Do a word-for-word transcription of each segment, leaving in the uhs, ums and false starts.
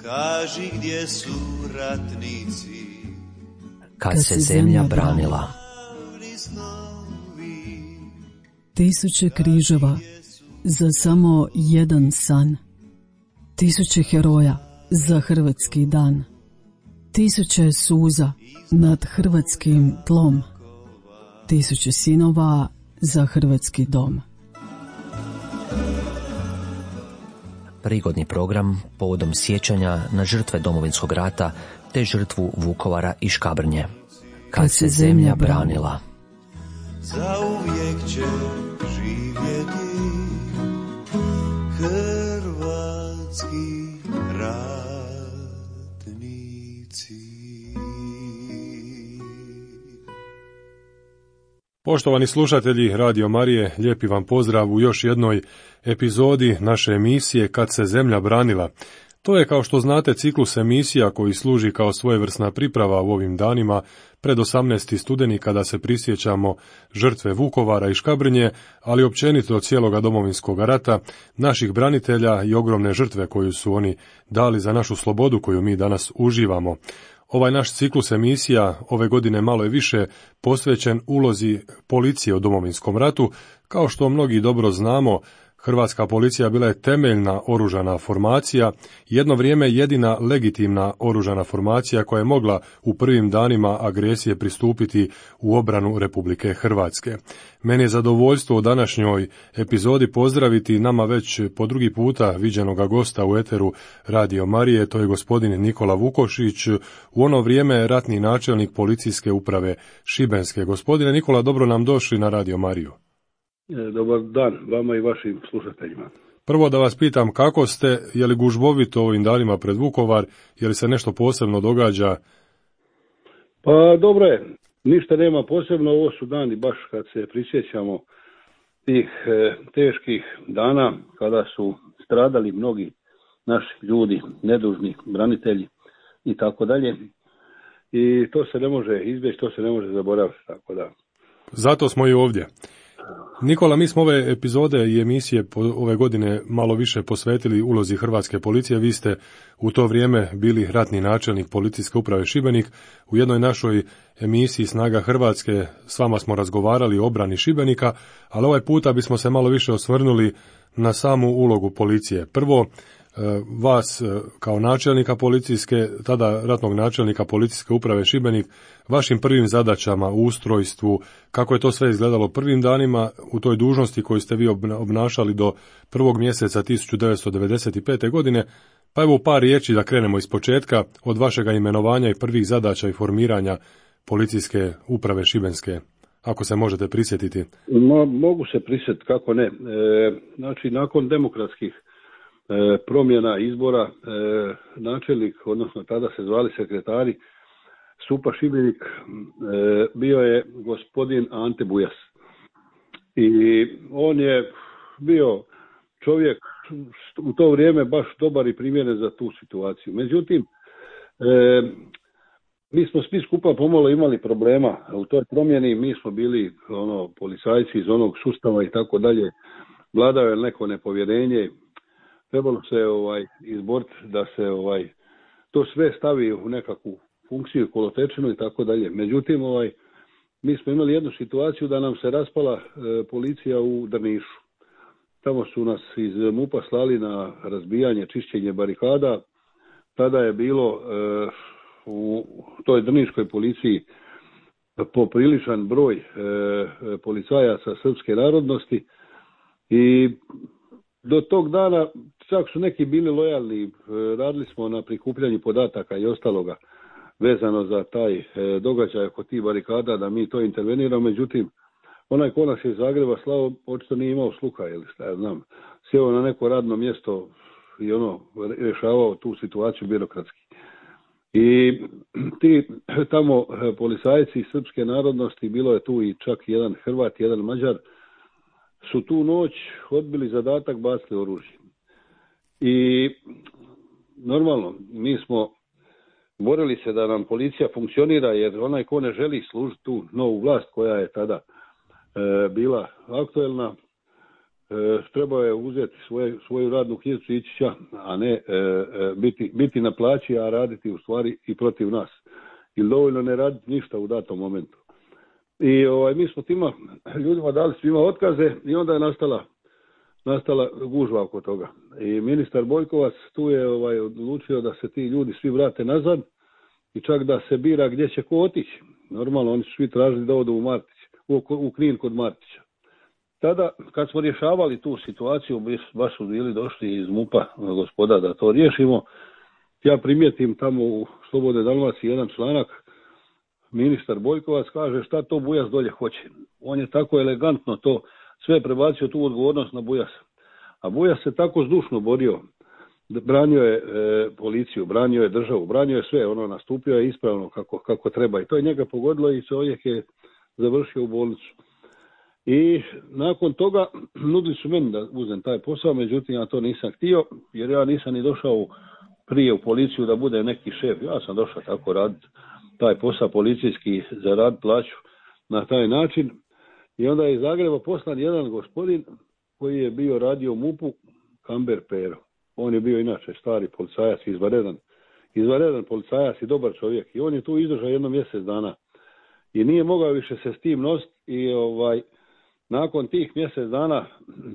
kaži gdje su ratnici, kad se zemlja branila. Tisuće križeva za samo jedan san, tisuće heroja za hrvatski dan, tisuće suza nad hrvatskim tlom, tisuće sinova za hrvatski dom. Prigodni program povodom sjećanja na žrtve Domovinskog rata te žrtvu Vukovara i Škabrnje. Kad se zemlja branila. Zauvijek će živjeti hrvatski ratnici. Poštovani slušatelji Radio Marije, lijepi vam pozdrav u još jednoj epizodi naše emisije Kad se zemlja branila. To je, kao što znate, ciklus emisija koji služi kao svojevrsna priprava u ovim danima pred osamnaesti studeni kada se prisjećamo žrtve Vukovara i Škabrnje, ali općenito cijeloga Domovinskog rata, naših branitelja i ogromne žrtve koju su oni dali za našu slobodu koju mi danas uživamo. Ovaj naš ciklus emisija ove godine malo je više posvećen ulozi policije u Domovinskom ratu. Kao što mnogi dobro znamo, Hrvatska policija bila je temeljna oružana formacija, jedno vrijeme jedina legitimna oružana formacija koja je mogla u prvim danima agresije pristupiti u obranu Republike Hrvatske. Meni je zadovoljstvo u današnjoj epizodi pozdraviti nama već po drugi puta viđenoga gosta u eteru Radio Marije, to je gospodin Nikola Vukošić, u ono vrijeme ratni načelnik policijske uprave Šibenske. Gospodine Nikola, dobro nam došli na Radio Mariju. Dobar dan vama i vašim slušateljima. Prvo da vas pitam kako ste, je li gužbovito ovim danima pred Vukovar, je li se nešto posebno događa? Pa dobro je, ništa nema posebno, ovo su dani baš kad se prisjećamo tih e, teških dana kada su stradali mnogi naši ljudi, nedužni branitelji i tako dalje. I to se ne može izbjeći, to se ne može zaboraviti, tako da. Zato smo i ovdje. Nikola, mi smo ove epizode i emisije ove godine malo više posvetili ulozi Hrvatske policije. Vi ste u to vrijeme bili ratni načelnik policijske uprave Šibenik. U jednoj našoj emisiji Snaga Hrvatske s vama smo razgovarali o obrani Šibenika, ali ovaj puta bismo se malo više osvrnuli na samu ulogu policije. Prvo, vas kao načelnika policijske, tada ratnog načelnika policijske uprave Šibenik, vašim prvim zadaćama u ustrojstvu, kako je to sve izgledalo prvim danima u toj dužnosti koju ste vi obnašali do prvog mjeseca tisuću devetsto devedeset pete. godine, pa evo par riječi da krenemo iz početka od vašega imenovanja i prvih zadaća i formiranja policijske uprave Šibenske, ako se možete prisjetiti. Mo, mogu se prisjetiti, kako ne. E, znači, nakon demokratskih E, promjena izbora, e, načelnik, odnosno tada se zvali sekretari S U P A Šibenik, e, bio je gospodin Ante Bujas. I on je bio čovjek u to vrijeme baš dobar i primjeren za tu situaciju. Međutim, e, mi smo svi skupa pomalo imali problema u toj promjeni, mi smo bili ono policajci iz onog sustava i tako dalje, vladao je neko nepovjerenje. Trebalo se ovaj izboriti da se ovaj to sve stavi u nekakvu funkciju, kolotečinu i tako dalje. Međutim, ovaj mi smo imali jednu situaciju da nam se raspala e, policija u Drnišu. Tamo su nas iz M U P-a slali na razbijanje, čišćenje barikada. Tada je bilo e, u toj drniškoj policiji popriličan broj e, policajaca srpske narodnosti i do tog dana čak su neki bili lojalni, radili smo na prikupljanju podataka i ostaloga vezano za taj događaj oko tih barikada, da mi to interveniramo, međutim, onaj ko nas je iz Zagreba slao, očito nije imao sluha, ili šta ja znam, sjeo na neko radno mjesto i ono, rješavao tu situaciju birokratski. I ti tamo policajci srpske narodnosti, bilo je tu i čak jedan Hrvat, jedan Mađar, su tu noć odbili zadatak, bacili oružje. I normalno, mi smo borili se da nam policija funkcionira, jer onaj ko ne želi služiti tu novu vlast koja je tada e, bila aktuelna, trebao je uzeti svoje, svoju radnu knjižicu i ići ća, a ne e, e, biti, biti na plaći, a raditi u stvari i protiv nas. Ili dovoljno ne raditi ništa u datom momentu. I ovaj, mi smo tima ljudima dali svima otkaze i onda je nastala, nastala gužva oko toga. I ministar Bojkovac tu je ovaj, odlučio da se ti ljudi svi vrate nazad i čak da se bira gdje će ko otići. Normalno, oni su svi tražili da odu u, Martić, u, u Knin kod Martića. Tada, kad smo rješavali tu situaciju, baš su bili došli iz MUP-a gospoda da to riješimo, ja primijetim tamo u Slobodnoj Dalmaciji jedan članak, ministar Bojkovac kaže šta to Bujas dolje hoće. On je tako elegantno to sve prebacio tu odgovornost na Bujasa. A Bujas se tako zdušno borio, branio je e, policiju, branio je državu, branio je sve, ono nastupio je ispravno kako, kako treba. I to je njega pogodilo i čovjek je završio u bolnicu. I nakon toga nudili su meni da uzem taj posao, međutim ja to nisam htio, jer ja nisam ni došao prije u policiju da bude neki šef. Ja sam došao tako raditi taj posao policijski za rad plaću na taj način. I onda je iz Zagreba poslan jedan gospodin koji je bio radio u MUP-u, Kamber Pero. On je bio inače stari policajac, izvanredan, izvanredan policajac i dobar čovjek. I on je tu izdržao jedno mjesec dana. I nije mogao više se s tim nositi i ovaj, nakon tih mjesec dana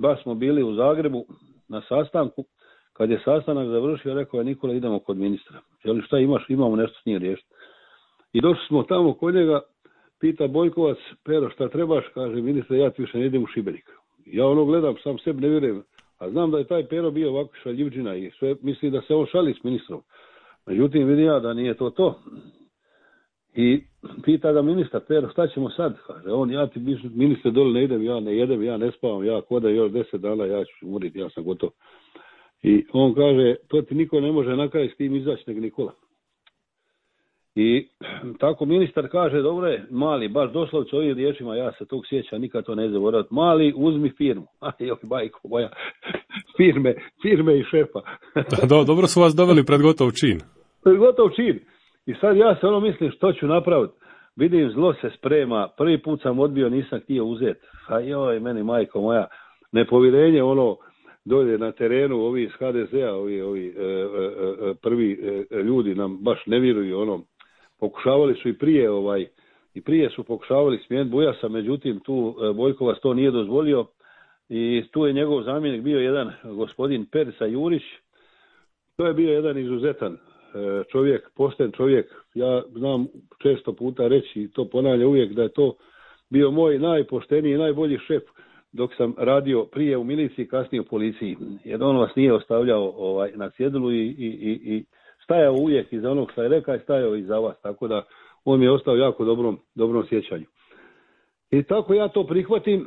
baš smo bili u Zagrebu na sastanku. Kad je sastanak završio, rekao je Nikola, idemo kod ministra. Jel šta imaš? Imamo nešto s njim riješiti. I došli smo tamo kod njega, pita Bojkovac, Pero, šta trebaš? Kaže, ministre, ja ti više ne idem u Šibenik. Ja ono gledam, sam sebi ne vjerujem. A znam da je taj Pero bio ovako šaljivđina i sve misli da se on šali s ministrom. Međutim, vidim ja da nije to to. I pita ga ministar, Pero, šta ćemo sad? Kaže, on, ja ti ministre dole ne idem, ja ne jedem, ja ne spavam, ja koda još deset dana, ja ću umriti, ja sam gotov. I on kaže, to ti niko ne može na kraj s tim izaći nego Nikola. I tako ministar kaže, dobro je, Mali, baš doslovce ovim riječima, ja se tog sjećam, nikad to ne zaboraviti. Mali, uzmi firmu. A joj, bajko moja, firme, firme i šefa. Do, dobro su vas doveli pred gotov čin. Pred gotov čin. I sad ja se ono mislim što ću napraviti. Vidim, zlo se sprema, prvi put sam odbio, nisam htio uzeti. A joj, meni majko moja, nepovjerenje ono, dolje na terenu, ovi iz ha de zea, ovi, ovi e, e, prvi e, ljudi nam baš ne vjeruju, ono, pokušavali su i prije, ovaj, i prije su pokušavali smijeniti Bujasa, međutim tu e, Bojkovac to nije dozvolio i tu je njegov zamjenik bio jedan gospodin Perica Jurić, to je bio jedan izuzetan e, čovjek, pošten čovjek, ja znam često puta reći i to ponavljam uvijek da je to bio moj najpošteniji i najbolji šef dok sam radio prije u miliciji, kasnije u policiji. Jer on vas nije ostavljao ovaj, na cjedilu i, i, i, i stajao uvijek iza onog što je rekao i stajao iza vas. Tako da on mi je ostao jako dobrom, dobrom sjećanju. I tako ja to prihvatim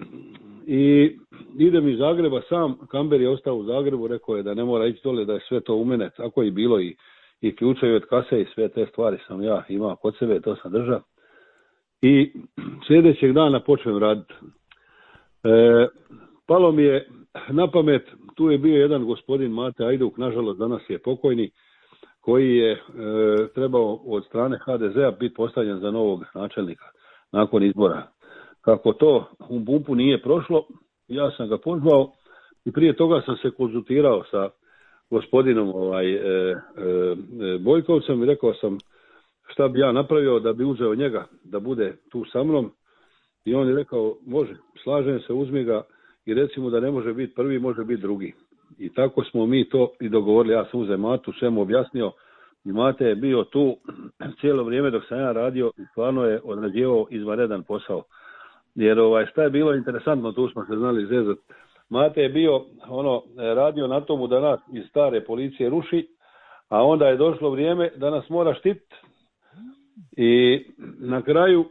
i idem iz Zagreba sam. Kamber je ostao u Zagrebu, rekao je da ne mora ići dole, da je sve to u mene. Tako je bilo i, i ključevi od kase i sve te stvari sam ja imao kod sebe, to sam držao. I sljedećeg dana počnem raditi. E, palo mi je na pamet, tu je bio jedan gospodin Mate Ajduk, nažalost danas je pokojni, koji je e, trebao od strane ha de zea biti postavljen za novog načelnika nakon izbora. Kako to u MUP-u nije prošlo, ja sam ga pozvao i prije toga sam se konzultirao sa gospodinom ovaj, e, e, Bojkovcem i rekao sam šta bi ja napravio da bi uzeo njega da bude tu sa mnom. I on je rekao, može, slažem se, uzmi ga i recimo da ne može biti prvi, može biti drugi. I tako smo mi to i dogovorili. Ja sam uzeo Matu, sve mu objasnio i Mate je bio tu cijelo vrijeme dok sam ja radio i stvarno je odrađivao izvanredan posao. Jer ovaj, šta je bilo interesantno, tu smo se znali zezati. Mate je bio ono radio na tomu da nas iz stare policije ruši, a onda je došlo vrijeme da nas mora štititi. I na kraju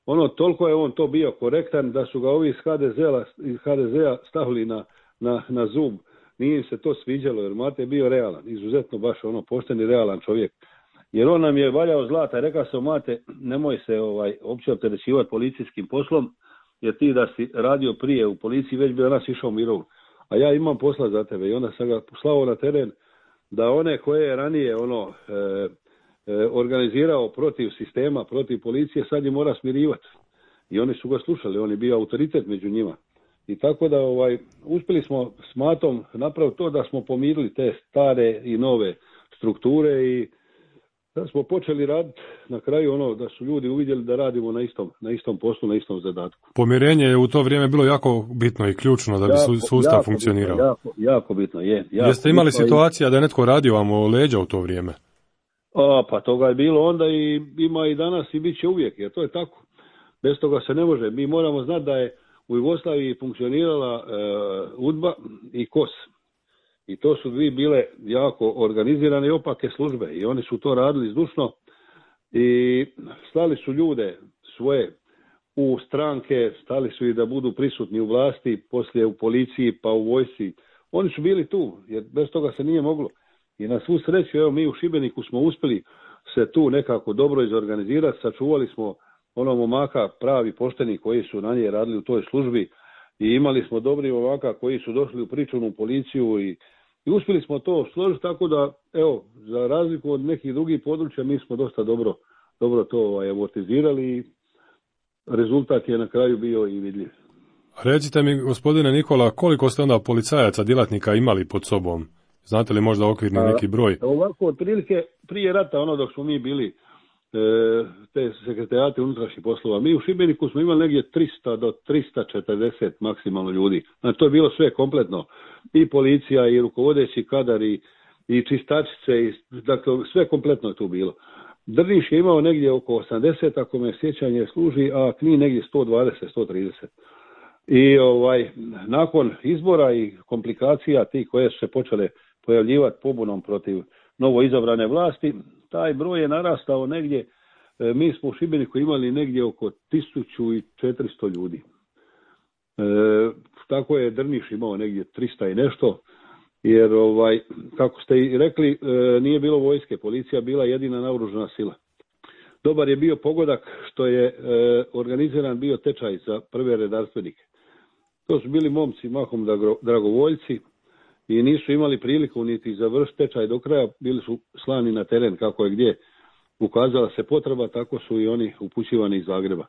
ono, toliko je on to bio korektan da su ga ovi iz ha de zea, iz ha de zea stavili na, na, na zub. Nije im se to sviđalo jer Mate je bio realan, izuzetno baš ono pošten i realan čovjek. Jer on nam je valjao zlata i rekao sam, Mate, nemoj se ovaj, opće opterećivati policijskim poslom, jer ti da si radio prije u policiji već bi danas išao u mirovnu. A ja imam posla za tebe i onda sam ga poslao na teren da one koje je ranije ono... E, organizirao protiv sistema, protiv policije, sad je mora smirivati. I oni su ga slušali, on je bio autoritet među njima. I tako da ovaj, uspjeli smo s Matom napraviti to da smo pomirili te stare i nove strukture i da smo počeli raditi na kraju ono da su ljudi uvidjeli da radimo na istom, na istom poslu, na istom zadatku. Pomirenje je u to vrijeme bilo jako bitno i ključno da bi jako, sustav jako funkcionirao. Bitno, jako, jako bitno, je. Jako Jeste imali bitno situacija i... da je netko radio vam o leđa u to vrijeme? A, pa toga je bilo onda i ima i danas i bit će uvijek, jer to je tako. Bez toga se ne može. Mi moramo znati da je u Jugoslaviji funkcionirala e, UDBA i K O S. I to su dvije bile jako organizirane i opake službe. I oni su to radili zdušno i slali su ljude svoje u stranke, stali su i da budu prisutni u vlasti, poslije u policiji pa u vojsci. Oni su bili tu, jer bez toga se nije moglo. I na svu sreću, evo mi u Šibeniku smo uspjeli se tu nekako dobro izorganizirati, sačuvali smo ono momaka pravi pošteni koji su na nje radili u toj službi i imali smo dobri momaka koji su došli u pričuvnu policiju i, i uspjeli smo to složiti tako da, evo, za razliku od nekih drugih područja mi smo dosta dobro, dobro to ovaj, amortizirali i rezultat je na kraju bio i vidljiv. Recite mi, gospodine Nikola, koliko ste onda policajaca, djelatnika imali pod sobom? Znate li možda okvirni neki broj? A, ovako, otprilike prije rata, ono dok smo mi bili e, te sekretarijate unutrašnjih poslova, mi u Šibeniku smo imali negdje tristo do tristo četrdeset maksimalno ljudi. Znači, to je bilo sve kompletno. I policija, i rukovodeći kadar, i, i čistačice, i, dakle, sve kompletno je tu bilo. Drniš je imao negdje oko osamdeset, ako me sjećanje služi, a Knin negdje sto dvadeset, sto trideset. I ovaj, nakon izbora i komplikacija ti koje su se počele pojavljivati pobunom protiv novo izabrane vlasti, taj broj je narastao negdje, e, mi smo u Šibeniku imali negdje oko tisuću četiristo ljudi. E, tako je Drniš imao negdje tristo i nešto, jer ovaj, kako ste i rekli, e, nije bilo vojske, policija bila jedina naoružana sila. Dobar je bio pogodak što je e, organiziran bio tečaj za prve redarstvenike. To su bili momci mahom dragovoljci i nisu imali priliku niti završiti tečaj do kraja, bili su slani na teren kako je gdje ukazala se potreba, tako su i oni upućivani iz Zagreba.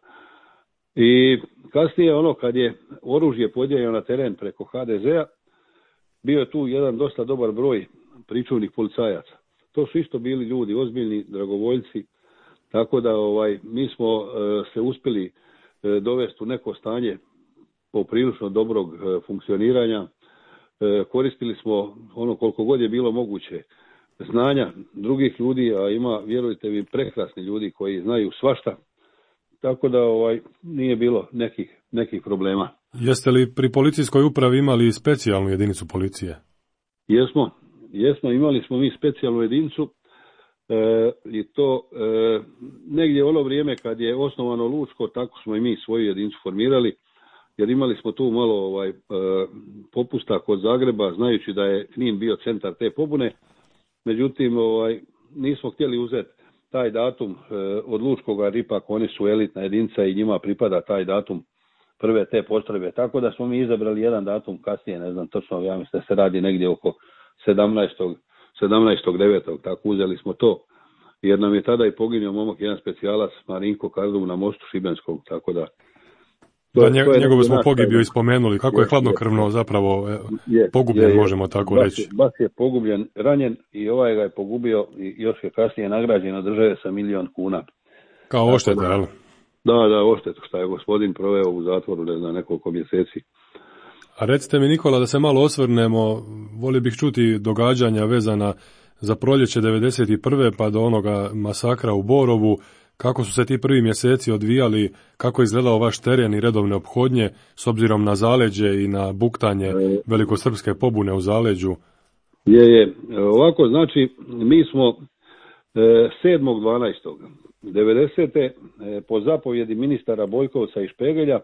I kasnije ono kad je oružje podijeljeno na teren preko ha de zea, bio je tu jedan dosta dobar broj pričuvnih policajaca. To su isto bili ljudi, ozbiljni dragovoljci, tako da ovaj mi smo e, se uspjeli e, dovesti u neko stanje poprilično dobrog e, funkcioniranja. E, koristili smo ono koliko god je bilo moguće znanja drugih ljudi, a ima, vjerujte mi, prekrasni ljudi koji znaju svašta, tako da ovaj nije bilo nekih, nekih problema. Jeste li pri policijskoj upravi imali specijalnu jedinicu policije? Jesmo, jesmo, imali smo mi specijalnu jedinicu e, i to e, negdje ono vrijeme kad je osnovano Lučko, tako smo i mi svoju jedinicu formirali, jer imali smo tu malo ovaj, e, popusta kod Zagreba, znajući da je Knin bio centar te pobune, međutim ovaj, nismo htjeli uzeti taj datum e, od Lučkoga, jer ipak oni su elitna jedinica i njima pripada taj datum prve te postrojbe, tako da smo mi izabrali jedan datum kasnije, ne znam točno, ja mislim da se radi negdje oko sedamnaestog devetog tako uzeli smo to, jer nam je tada i poginuo momak, jedan specijalac Marinko Kardum na mostu Šibenskog, tako da Da, nje, njegovu smo pogibiju ispomenuli, kako je, je hladnokrvno je, zapravo je, pogubljen, je, je, možemo tako bas reći. Je, bas je pogubljen, ranjen i ovaj ga je pogubio i još je kasnije nagrađen od države sa milion kuna. Kao ošteta, jel? Da, da, oštetu što je gospodin proveo u zatvoru, ne znam, nekoliko mjeseci. A recite mi, Nikola, da se malo osvrnemo, volio bih čuti događanja vezana za proljeće devedeset prve pa do onoga masakra u Borovu. Kako su se ti prvi mjeseci odvijali, kako je izgledao vaš teren i redovne ophodnje s obzirom na zaleđe i na buktanje velikosrpske pobune u zaleđu? Je, je. Ovako, znači, mi smo sedmog dvanaestog devedesete po zapovjedi ministara Bojkovca i Špegelja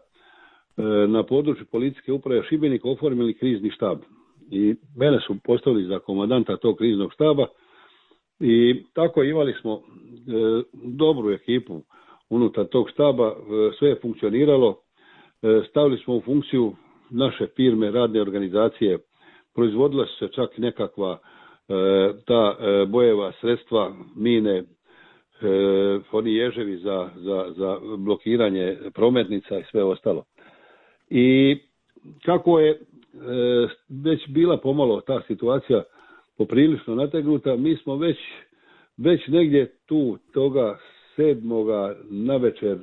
na području policijske uprave Šibenika oformili krizni štab. I mene su postavili za komandanta tog kriznog štaba. I tako imali smo e, dobru ekipu unutar tog štaba, e, sve je funkcioniralo, e, stavili smo u funkciju naše firme, radne organizacije, proizvodila su se čak nekakva e, ta e, bojeva sredstva, mine, e, oni ježevi za, za, za blokiranje prometnica i sve ostalo. I kako je e, već bila pomalo ta situacija poprilično nategnuta, mi smo već, već negdje tu toga sedmoga navečer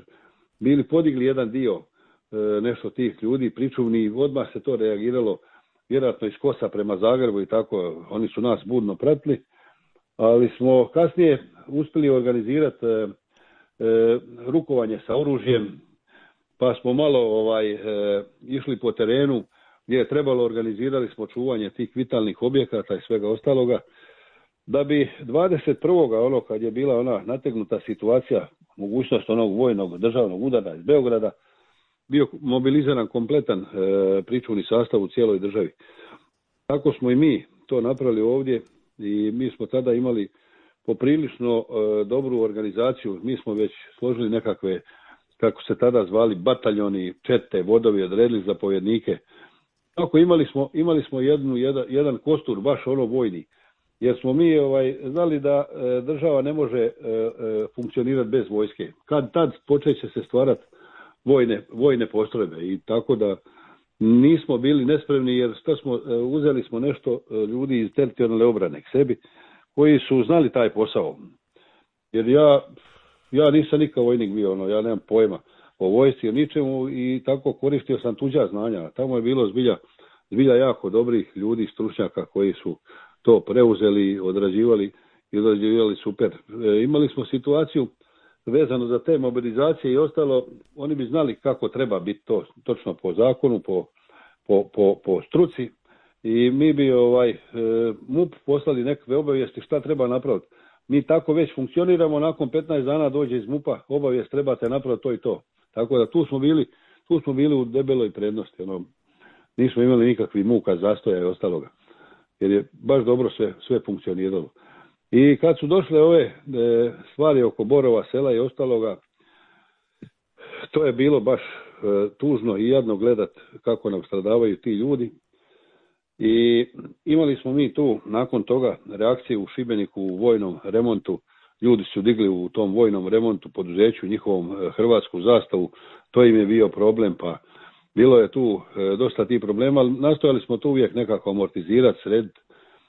bili podigli jedan dio e, nešto tih ljudi, pričuvni, odmah se to reagiralo vjerojatno iz Kosa prema Zagrebu i tako, oni su nas budno pratili, ali smo kasnije uspjeli organizirati e, e, rukovanje sa oružjem, pa smo malo ovaj e, išli po terenu gdje je trebalo, organizirali smo čuvanje tih vitalnih objekata i svega ostaloga, da bi dvadeset prvoga ono kad je bila ona nategnuta situacija, mogućnost onog vojnog državnog udara iz Beograda, bio mobiliziran kompletan e, pričuvni sastav u cijeloj državi. Tako smo i mi to napravili ovdje i mi smo tada imali poprilično e, dobru organizaciju. Mi smo već složili nekakve, kako se tada zvali, bataljoni, čete, vodovi, odredili zapovjednike. Tako imali smo, imali smo jednu, jedan, jedan kostur, baš ono vojni, jer smo mi ovaj, znali da e, država ne može e, e, funkcionirati bez vojske. Kad tad počeće se stvarati vojne, vojne postrojbe i tako da nismo bili nespremni, jer što smo, uzeli smo nešto ljudi iz teritorijalne obrane k sebi koji su znali taj posao. Jer ja, ja nisam nikad vojnik bio, ono, ja nemam pojma o vojsci, o ničemu i tako koristio sam tuđa znanja. Tamo je bilo zbilja, zbilja jako dobrih ljudi, stručnjaka koji su to preuzeli, odrađivali i odrađivali super. E, imali smo situaciju vezano za te mobilizacije i ostalo, oni bi znali kako treba biti to točno po zakonu, po, po, po, po struci i mi bi ovaj e, M U P poslali nekakve obavijesti šta treba napraviti. Mi tako već funkcioniramo, nakon petnaest dana dođe iz M U P-a obavijest trebate napraviti to i to. Tako da tu smo bili, tu smo bili u debeloj prednosti, ono, nismo imali nikakvih muka, zastoja i ostaloga, jer je baš dobro sve, sve funkcioniralo. I kad su došle ove e, stvari oko Borova sela i ostaloga, to je bilo baš e, tužno i jadno gledat kako nam stradavaju ti ljudi. I imali smo mi tu nakon toga reakciju u Šibeniku u vojnom remontu. Ljudi su digli u tom vojnom remontu poduzeću njihovom e, hrvatsku zastavu. To im je bio problem, pa bilo je tu e, dosta tih problema, ali nastojali smo to uvijek nekako amortizirati, srediti.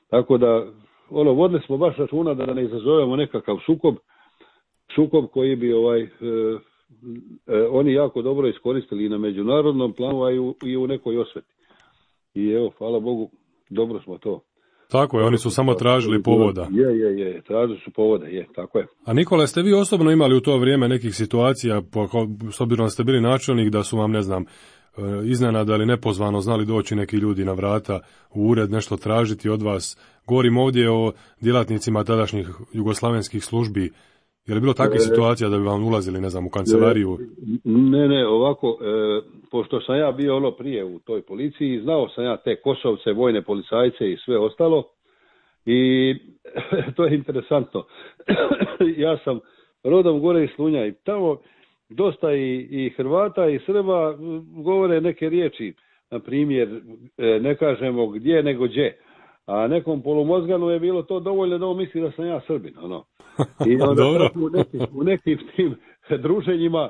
Tako da ono, vodili smo baš računa da ne izazovemo nekakav sukob, sukob koji bi ovaj, e, e, oni jako dobro iskoristili i na međunarodnom planu, a i u, i u nekoj osveti. I evo, hvala Bogu, dobro smo to. Tako je, oni su samo tražili povoda. Je, je, je, tražili su povoda, je, tako je. A Nikola, ste vi osobno imali u to vrijeme nekih situacija, s obzirom da ste bili načelnik, da su vam, ne znam, iznenada ili nepozvano znali doći neki ljudi na vrata u ured nešto tražiti od vas? Govorim ovdje o djelatnicima tadašnjih jugoslavenskih službi. Je li bilo takve e, situacija da bi vam ulazili, ne znam, u kancelariju? Ne, ne, ovako, e, pošto sam ja bio ono prije u toj policiji, znao sam ja te Kosovce, vojne policajce i sve ostalo i to je interesantno. Ja sam rodom gore iz Slunja i tamo dosta i, i Hrvata i Srba govore neke riječi, na primjer, ne kažemo gdje nego gdje, a nekom polumozganu je bilo to dovoljno da on misli da sam ja Srbin, ono. I onda u nekim, u nekim tim druženjima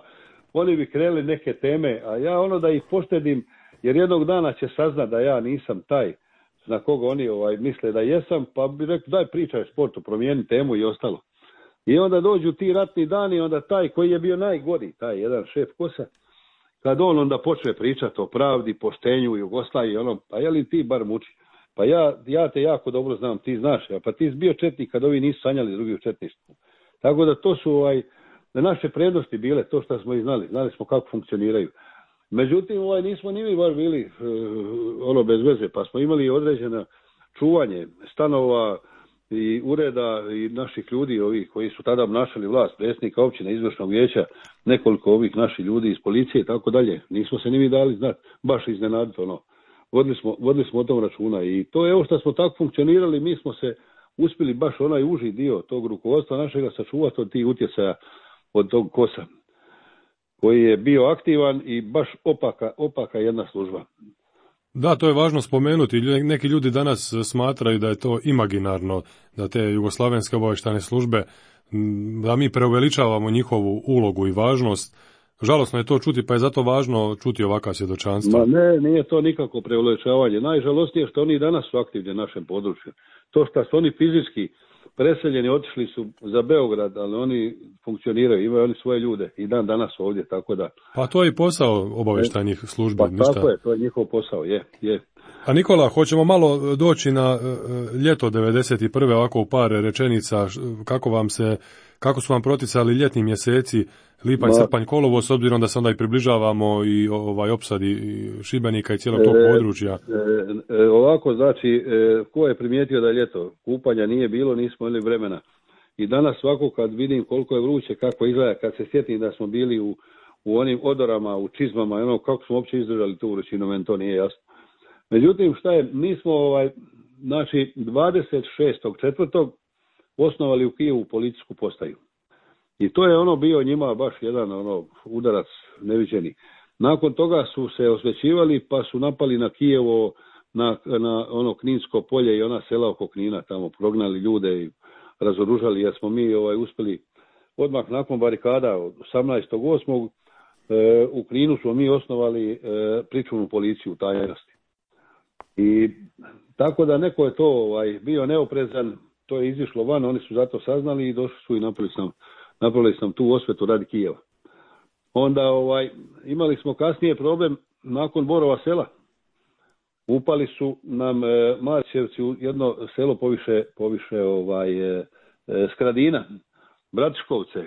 oni bi krenuli neke teme, a ja ono da ih poštedim, jer jednog dana će saznat da ja nisam taj na koga oni ovaj, misle da jesam, pa bi rekao daj pričaj o sportu, promijeni temu i ostalo. I onda dođu ti ratni dani, onda taj koji je bio najgori, taj jedan šef Kosa, kad on onda počne pričati o pravdi, poštenju, Jugoslaviji, ono, pa je li ti bar muči? Pa ja, ja te jako dobro znam, ti znaš, pa ti si bio četnik kad ovi nisu sanjali drugi u četništvu. Tako da to su ovaj, naše prednosti bile, to što smo i znali, znali smo kako funkcioniraju. Međutim, ovaj, nismo ni mi baš bili uh, ono bez veze, pa smo imali određeno čuvanje stanova i ureda i naših ljudi ovih koji su tada obnašali vlast, predsjednika općine, izvršnog vijeća, nekoliko ovih naših ljudi iz policije i tako dalje. Nismo se ni mi dali znati, baš iznenaditi ono. Vodili smo, vodili smo o tom računa i to je ovo što smo tako funkcionirali, mi smo se uspjeli baš onaj uži dio tog rukovodstva našega sačuvati od tih utjecaja od tog Kosa, koji je bio aktivan i baš opaka, opaka jedna služba. Da, to je važno spomenuti. Neki ljudi danas smatraju da je to imaginarno, da te jugoslavenske obavještajne službe, da mi preuveličavamo njihovu ulogu i važnost, žalosno je to čuti, pa je zato važno čuti ovakva svjedočanstva. Ma ne, nije to nikako preuveličavanje. Najžalostnije što oni danas su aktivni na našem području. To što su oni fizički preseljeni, otišli su za Beograd, ali oni funkcioniraju, imaju oni svoje ljude i dan danas ovdje, tako da... Pa to je i posao obavještajnih službi. Pa ništa. Tako je, to je njihov posao, je, je. A Nikola, hoćemo malo doći na ljeto devedeset prve ovako u par rečenica, kako vam se, kako su vam proticali ljetni mjeseci, lipanj, srpanj, kolovo, s obzirom da se onda i približavamo i ovaj opsadi Šibenika i cijelog tog područja. E, e, ovako, znači, e, ko je primijetio da je ljeto, kupanja nije bilo, nismo imali vremena. I danas svako kad vidim koliko je vruće, kako izgleda, kad se sjetim da smo bili u, u onim odorama, u čizmama, ono, kako smo uopće izdržali tu vrućinu, meni to nije jasno. Međutim, šta je, mi smo ovaj, znači, dvadeset šestog četvrtog osnovali u Kijevu policijsku postaju. I to je ono bio njima baš jedan ono udarac neviđeni. Nakon toga su se osvećivali pa su napali na Kijevo, na, na ono Kninsko polje i ona sela oko Knina, tamo prognali ljude i razoružali, jer smo mi ovaj, uspjeli odmah nakon barikada od osamnaestog osmog E, u Kninu smo mi osnovali e, pričuvnu policiju u tajnosti. I tako da neko je to ovaj, bio neoprezan, to je izišlo van, oni su zato saznali i došli su i napravili sam, napravili sam tu osvetu radi Kijeva. Onda ovaj, imali smo kasnije problem nakon Borova sela. Upali su nam e, Marčevci u jedno selo poviše, poviše ovaj, e, e, Skradina, Bratiškovce.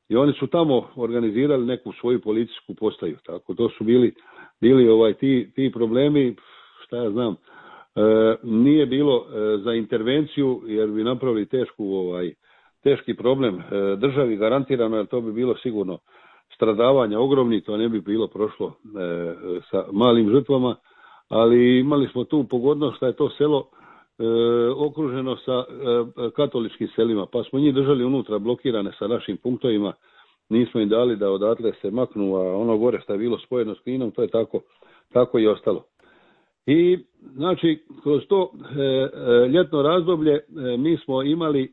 I oni su tamo organizirali neku svoju policijsku postaju. Tako to su bili, bili ovaj, ti, ti problemi, šta ja znam, e, nije bilo e, za intervenciju jer bi napravili tešku, ovaj, teški problem e, državi garantirano, jer to bi bilo sigurno stradavanja ogromni, to ne bi bilo prošlo e, sa malim žrtvama, ali imali smo tu pogodnost da je to selo e, okruženo sa e, katoličkim selima, pa smo njih držali unutra blokirane sa našim punktovima, nismo im dali da odatle se maknu, a ono gore što je bilo spojeno s Kninom, to je tako, tako i ostalo. I znači kroz to e, e, ljetno razdoblje e, mi smo imali e,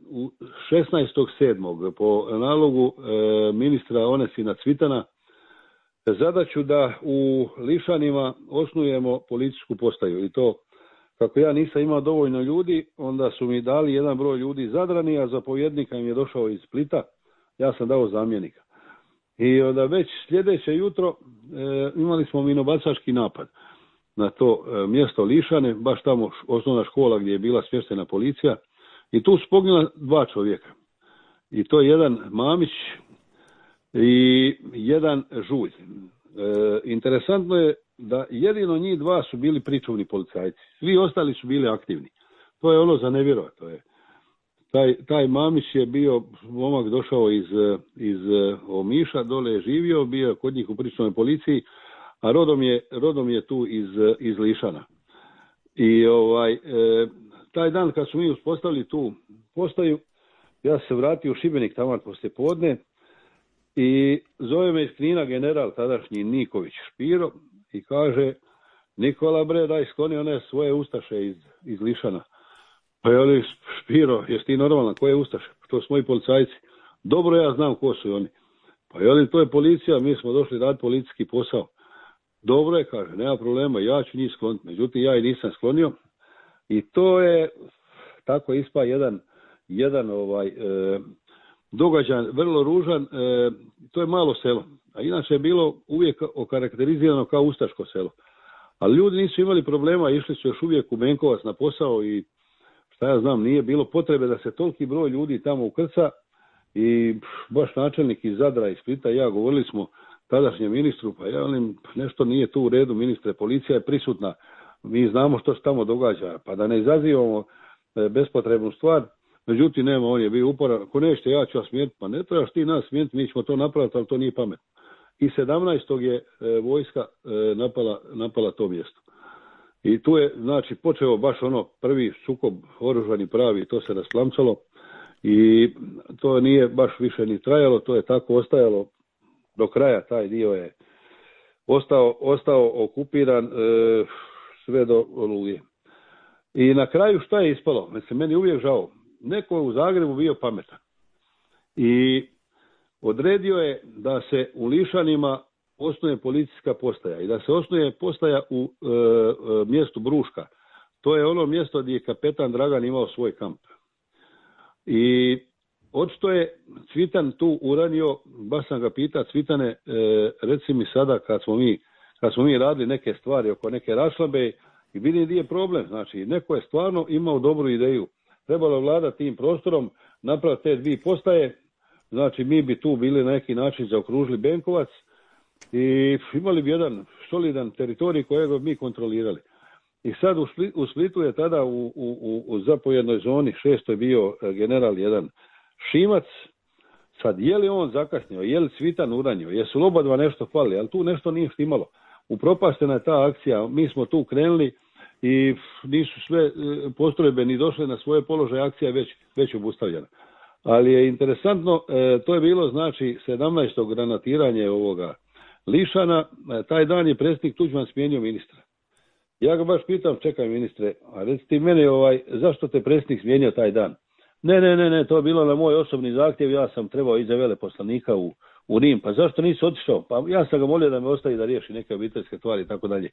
u šesnaestog sedmog po nalogu e, ministra Onesina Cvitana zadaću da u Lišanima osnujemo policijsku postaju. I to kako ja nisam imao dovoljno ljudi, onda su mi dali jedan broj ljudi Zadrani, a zapovjednika im je došao iz Splita, ja sam dao zamjenika. I onda već sljedeće jutro e, imali smo minobacački napad na to e, mjesto Lišane, baš tamo osnovna škola gdje je bila smještena policija, i tu su poginula dva čovjeka. I to je jedan Mamić i jedan Žulj. E, interesantno je da jedino njih dva su bili pričuvni policajci. Svi ostali su bili aktivni. To je ono za nevjerovat. To je. Taj, taj Mamić je bio, momak došao iz, iz Omiša, dole je živio, bio kod njih u pričuvnoj policiji, a rodom je, rodom je tu iz, iz Lišana. I ovaj, e, taj dan kad su mi uspostavili tu postaju, ja se vratio u Šibenik tamo poslije podne i zove me iz Knina general tadašnji Niković Špiro i kaže: Nikola bre, daj skloni one svoje ustaše iz, iz Lišana. Pa je li Špiro, jesi ti normalna, koje ustaše? To su moji policajci. Dobro, ja znam ko su oni. Pa je li to je policija, mi smo došli raditi policijski posao. Dobro je, kaže, nema problema, ja ću njih skloniti. Međutim, ja i nisam sklonio. I to je tako ispa jedan, jedan ovaj, e, događaj, vrlo ružan. E, to je malo selo. A inače je bilo uvijek okarakterizirano kao ustaško selo. Ali ljudi nisu imali problema, išli su još uvijek u Benkovac na posao i šta ja znam, nije bilo potrebe da se toliki broj ljudi tamo ukrca. I baš načelnik iz Zadra i Splita i ja govorili smo tadašnjem ministru, pa ja velim, nešto nije tu u redu, ministre, policija je prisutna, mi znamo što se tamo događa, pa da ne izazivamo bespotrebnu stvar. Međutim, nema, on je bio uporan, ako nećete, ja ću vas smijeniti, pa ne trebaš ti nas smijeniti, mi ćemo to napraviti, ali to nije pametno. I sedamnaestog je e, vojska e, napala, napala to mjesto. I tu je, znači, počeo baš ono prvi sukob oružani pravi, to se rasplamcalo i to nije baš više ni trajalo, to je tako ostajalo do kraja, taj dio je ostao, ostao okupiran e, sve do Oluje. I na kraju šta je ispalo? Mislim, meni uvijek žao. Neko je u Zagrebu bio pametan. I odredio je da se u Lišanima osnuje policijska postaja i da se osnuje postaja u e, e, mjestu Bruška. To je ono mjesto gdje je kapetan Dragan imao svoj kamp. I očito je Cvitan tu uranio, baš sam ga pitao, Cvitane, e, reci mi sada kad smo mi, kad smo mi radili neke stvari oko neke rašlabe i vidim gdje je problem. Znači, neko je stvarno imao dobru ideju. Trebalo vladati tim prostorom, napraviti te dvije postaje, znači mi bi tu bili na neki način zaokružili Benkovac i imali bi jedan solidan teritorij kojeg bi mi kontrolirali. I sad u, Spli, u Splitu je tada u, u, u zapovjednoj zoni šesto je bio general jedan Šimac. Sad je li on zakasnio, je li Cvitan uranio, jesu li oba dva nešto fali, ali tu nešto nije štimalo. Upropaštena je ta akcija, mi smo tu krenuli i nisu sve postrojbe ni došle na svoje položaje, akcija je već, već obustavljena. Ali je interesantno, to je bilo znači sedamnaesto granatiranje ovoga Lišana, taj dan je predsjednik Tuđman smijenio ministra. Ja ga baš pitam, čekaj ministre, a reci ti meni ovaj, zašto te predsjednik smijenio taj dan? Ne, ne, ne, ne, to je bilo na moj osobni zahtjev, ja sam trebao iza veleposlanika u, u Rim, pa zašto nisi otišao? Pa ja sam ga molio da me ostavi da riješi neke obiteljske stvari i tako dalje.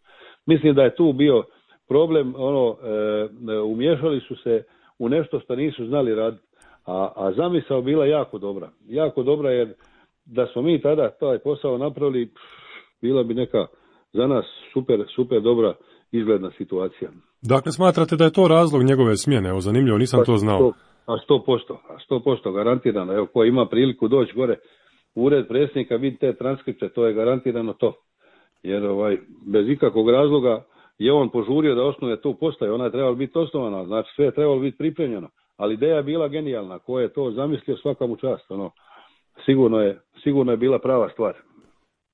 Mislim da je tu bio problem, ono, e, umješali su se u nešto što nisu znali raditi, a, a zamisao bila jako dobra, jako dobra jer da smo mi tada taj posao napravili, bila bi neka za nas super, super dobra izgledna situacija. Dakle, smatrate da je to razlog njegove smjene? Evo, zanimljivo, nisam pa, to znao. sto, a sto posto, a sto posto garantirano. Evo, ko ima priliku doći gore u ured predsjednika, vidite transkripte, to je garantirano to. Jer ovaj, bez ikakvog razloga je on požurio da osnuje tu postaju, ona je trebala biti osnovana, znači sve je trebalo biti pripremljeno. Ali ideja je bila genijalna, ko je to zamislio svaka mu čast, ono, sigurno je, sigurno je bila prava stvar.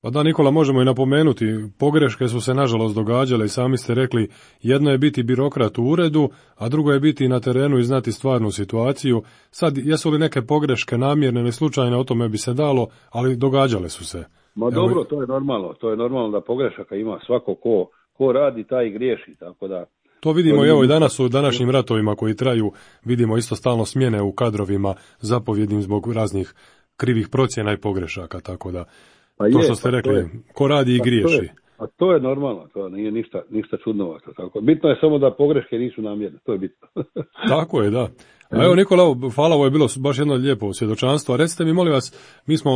Pa da, Nikola, možemo i napomenuti, pogreške su se nažalost događale i sami ste rekli, jedno je biti birokrat u uredu, a drugo je biti na terenu i znati stvarnu situaciju. Sad, jesu li neke pogreške namjerne ili slučajne, o tome bi se dalo, ali događale su se. Ma Evo, dobro, to je normalno, to je normalno da pogrešaka ima svako ko, ko radi, taj i griješi, tako da... To vidimo i evo i danas u današnjim ratovima koji traju, vidimo isto stalno smjene u kadrovima zapovjednim zbog raznih krivih procjena i pogrešaka, tako da... Pa to je, što ste rekli, je, ko radi i griješi. To je, a to je normalno, to nije ništa, ništa čudnovato. Tako. Bitno je samo da pogreške nisu namjerne, to je bitno. Tako je, da. A evo Nikola, hvala, ovo je bilo baš jedno lijepo svjedočanstvo. A recite mi, molim vas, mi smo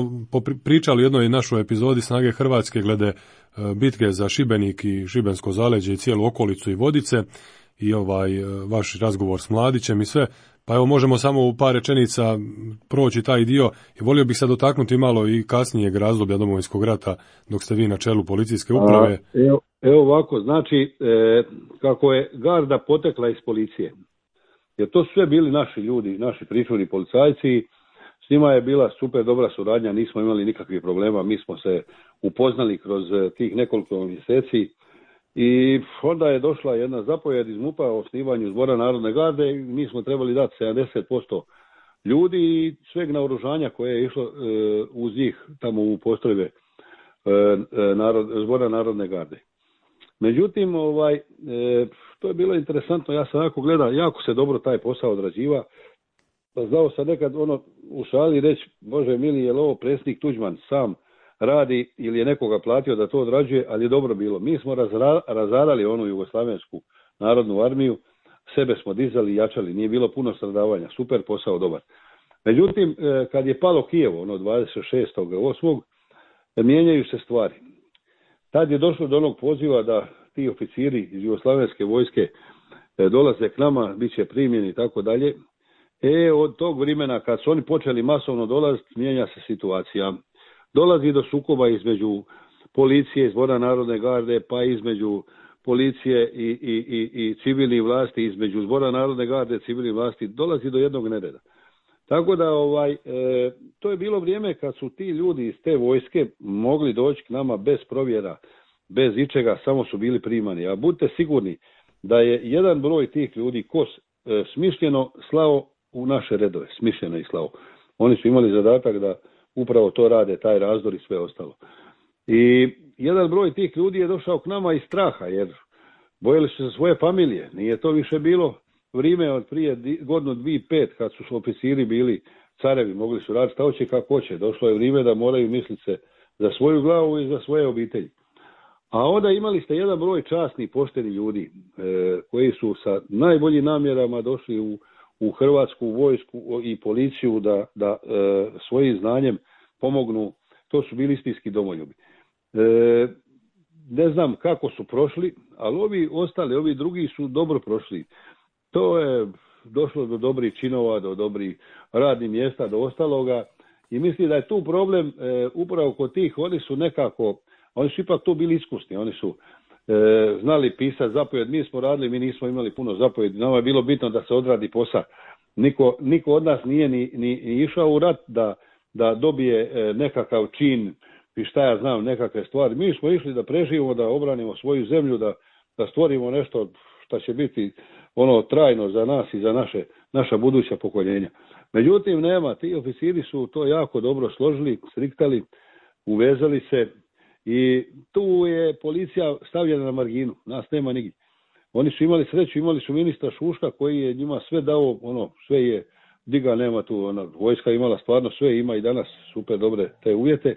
pričali u jednoj našoj epizodi Snage Hrvatske glede bitke za Šibenik i Šibensko zaleđe i cijelu okolicu i Vodice i ovaj vaš razgovor s Mladićem i sve. Pa evo možemo samo u par rečenica proći taj dio i volio bih se dotaknuti malo i kasnijeg razdoblja Domovinskog rata dok ste vi na čelu policijske uprave. A, evo, evo ovako, znači e, kako je garda potekla iz policije, jer to su sve bili naši ljudi, naši pričuvni policajci, s njima je bila super dobra suradnja, nismo imali nikakvih problema, mi smo se upoznali kroz tih nekoliko mjeseci. I onda je došla jedna zapovjed iz MUP-a o osnivanju Zbora narodne garde i mi smo trebali dati sedamdeset posto ljudi i sveg naoružanja koje je išlo e, uz njih tamo u postrojbe e, narod, Zbora narodne garde. Međutim, ovaj, e, to je bilo interesantno, ja sam jako gledao, jako se dobro taj posao odrađiva. Pa znao sam nekad ono u šali reći, Bože mili, je li ovo predsjednik Tuđman sam radi ili je nekoga platio da to odrađuje, ali je dobro bilo. Mi smo razra, razarali onu Jugoslavensku narodnu armiju, sebe smo dizali i jačali, nije bilo puno stradavanja, super posao, dobar. Međutim, kad je palo Kijevo, ono dvadeset šestog osmog mijenjaju se stvari. Tad je došlo do onog poziva da ti oficiri iz Jugoslavenske vojske dolaze k nama, bit će primjeni i tako dalje. E, od tog vremena kad su oni počeli masovno dolaziti, mijenja se situacija. Dolazi do sukoba između policije i Zbora narodne garde, pa između policije i, i, i, i civilnih vlasti, između Zbora narodne garde i civilnih vlasti, dolazi do jednog nereda. Tako da ovaj, e, to je bilo vrijeme kad su ti ljudi iz te vojske mogli doći k nama bez provjera, bez ičega, samo su bili primani. A budite sigurni da je jedan broj tih ljudi kos e, smišljeno slao u naše redove, smišljeno i slao. Oni su imali zadatak da upravo to rade, taj razdor i sve ostalo. I jedan broj tih ljudi je došao k nama iz straha, jer bojali su se svoje familije. Nije to više bilo vrijeme od prije godinu, dvije, pet, kad su oficiri bili carevi, mogli su raditi šta hoće kako hoće. Došlo je vrijeme da moraju misliti se za svoju glavu i za svoje obitelji. A onda imali ste jedan broj časnih, poštenih ljudi e, koji su sa najboljim namjerama došli u, u Hrvatsku vojsku i policiju da, da e, svojim znanjem pomognu. To su bili istinski domoljubi. E, ne znam kako su prošli, ali ovi ostali, ovi drugi su dobro prošli. To je došlo do dobrih činova, do dobrih radnih mjesta, do ostaloga. I mislim da je tu problem e, upravo kod tih, oni su nekako, oni su ipak tu bili iskusni, oni su e, znali pisati zapovjed, mi smo radili, mi nismo imali puno zapovjedi, nama je bilo bitno da se odradi posao. Niko, niko od nas nije ni, ni, ni išao u rat da, da dobije e, nekakav čin i šta ja znam, nekakve stvari. Mi smo išli da preživimo, da obranimo svoju zemlju, da, da stvorimo nešto što će biti ono trajno za nas i za naše, naša buduća pokoljenja. Međutim, nema, ti oficiri su to jako dobro složili, striktali, uvezali se i tu je policija stavljena na marginu, nas nema nigdje. Oni su imali sreću, imali su ministra Šuška koji je njima sve dao, ono, sve je, diga nema tu, ona, vojska imala stvarno sve, ima i danas super dobre te uvjete,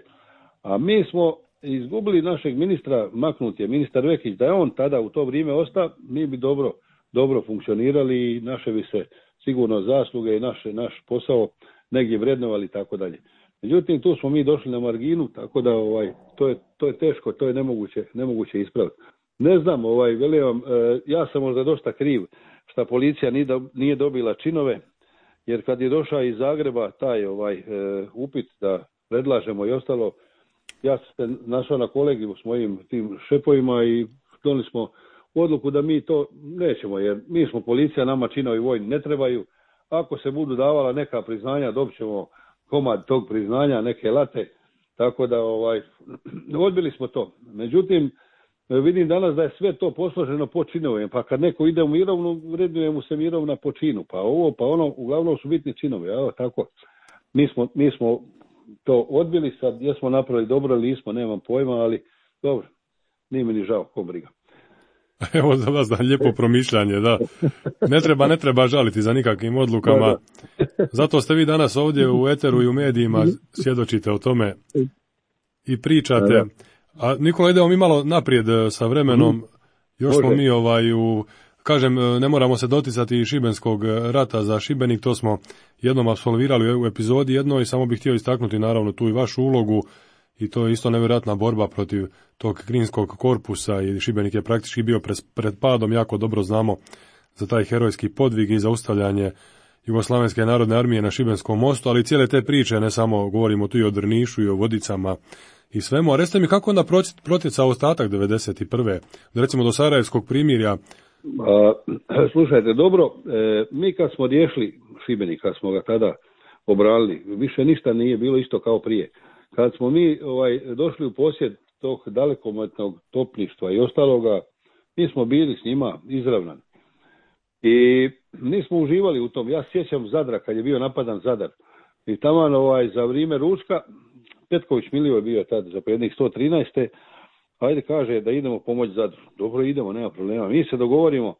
a mi smo izgubili našeg ministra, maknut je ministar Vekić, da je on tada u to vrijeme ostao, mi bi dobro, dobro funkcionirali i naše bi se sigurno zasluge i naše, naš posao negdje vrednovali i tako dalje. Međutim, tu smo mi došli na marginu, tako da ovaj, to, je, to je teško, to je nemoguće, nemoguće ispraviti. Ne znam, ovaj, velim vam, e, ja sam možda dosta kriv što policija nije, do, nije dobila činove, jer kad je došao iz Zagreba taj ovaj e, upit da predlažemo i ostalo, ja sam se našao na kolegiju s mojim tim šepovima i donili smo odluku da mi to nećemo, jer mi smo policija, nama činovi vojni ne trebaju. Ako se budu davala neka priznanja, dobit ćemo komad tog priznanja, neke late, tako da ovaj, odbili smo to. Međutim, vidim danas da je sve to posloženo po činovima, pa kad neko ide u mirovnu, vrednuje mu se mirovna po činu, pa ovo, pa ono, uglavnom su bitni činovi, evo tako. Mi smo, mi smo to odbili, sad jesmo napravili dobro ili nismo, nemam pojma, ali dobro, nije mi ni žao, ko briga. Evo za vas da lijepo promišljanje, da. Ne treba, ne treba žaliti za nikakvim odlukama. Da, da. Zato ste vi danas ovdje u eteru i u medijima svjedočite o tome i pričate. Da, da. A Nikola, idemo mi malo naprijed sa vremenom. Još smo mi ovaj u, kažem, ne moramo se doticati Šibenskog rata za Šibenik, to smo jednom apsolvirali u epizodi jednoj, samo bih htio istaknuti naravno tu i vašu ulogu. I to je isto nevjerojatna borba protiv tog kninskog korpusa i Šibenik je praktički bio pred padom, jako dobro znamo za taj herojski podvig i zaustavljanje Jugoslavenske narodne armije na Šibenskom mostu, ali cijele te priče, ne samo govorimo tu i o Drnišu i o Vodicama i svemu. A recite mi kako onda protjecao ostatak devedeset prve recimo do Sarajevskog primirja? A, slušajte, dobro, e, mi kad smo riješili Šibenik, kad smo ga tada obranili, više ništa nije bilo isto kao prije. Kad smo mi ovaj, došli u posjed tog dalekometnog topništva i ostaloga, mi smo bili s njima izravnani. I nismo uživali u tom. Ja sjećam Zadra, kad je bio napadan Zadar. I taman ovaj, za vrijeme ručka, Petković Milio je bio tad zapovjednik sto trinaeste. Ajde kaže da idemo pomoći Zadru. Dobro, idemo, nema problema. Mi se dogovorimo